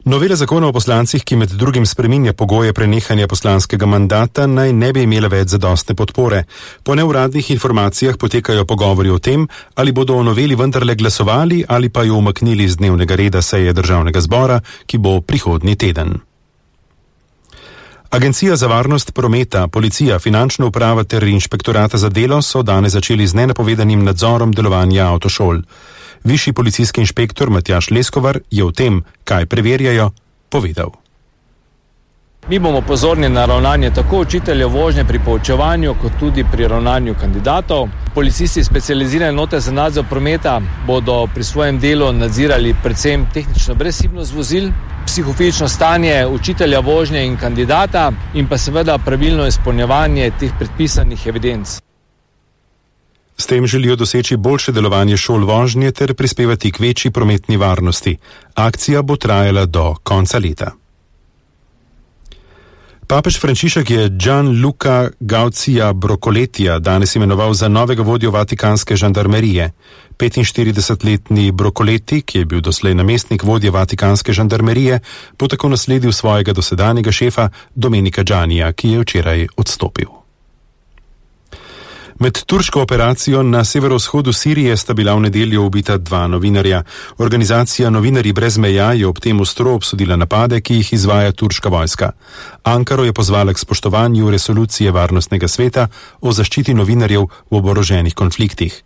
Novela zakona o poslancih, ki med drugim spreminja pogoje prenehanja poslanskega mandata, naj ne bi imela več zadostne podpore. Po neuradnih informacijah potekajo pogovori o tem, ali bodo o noveli vendarle glasovali ali pa jo umaknili z dnevnega reda seje državnega zbora, ki bo prihodnji teden. Agencija za varnost prometa, policija, finančna uprava ter inšpektorata za delo so danes začeli z nenapovedanim nadzorom delovanja avtošol. Višji policijski inšpektor Matjaž Leskovar je o tem, kaj preverjajo, povedal. Mi bomo pozorni na ravnanje tako učiteljev vožnje pri poučevanju, kot tudi pri ravnanju kandidatov. Policisti specializirane enote za nadzor prometa bodo pri svojem delu nadzirali predvsem tehnično brezhibnost vozil, psihofizično stanje učitelja vožnje in kandidata in pa seveda pravilno izpolnjevanje teh predpisanih evidenc. S tem želijo doseči boljše delovanje šol vožnje ter prispevati k večji prometni varnosti. Akcija bo trajala do konca leta. Papež Frančišek je Gianluca Gaucija Brocoletija danes imenoval za novega vodjo vatikanske žandarmerije. 45-letni Brocoleti, ki je bil doslej namestnik vodje vatikanske žandarmerije, bo tako nasledil svojega dosedanjega šefa Domenica Giannija, ki je včeraj odstopil. Med turško operacijo na severovzhodu Sirije sta bila v nedeljo ubita 2 novinarja. Organizacija Novinarji brez meja je ob tem ostro obsodila napade, ki jih izvaja turška vojska. Ankaro je pozvala k spoštovanju resolucije Varnostnega sveta o zaščiti novinarjev v oboroženih konfliktih.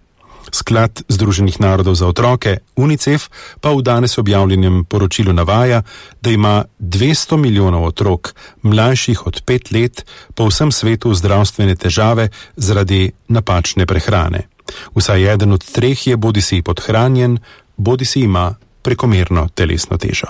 Sklad Združenih narodov za otroke, UNICEF, pa v danes objavljenem poročilu navaja, da ima 200 milijonov otrok, mlajših od 5 let, po vsem svetu zdravstvene težave zaradi napačne prehrane. Vsaj eden od 3 je bodisi podhranjen, bodisi ima prekomerno telesno težo.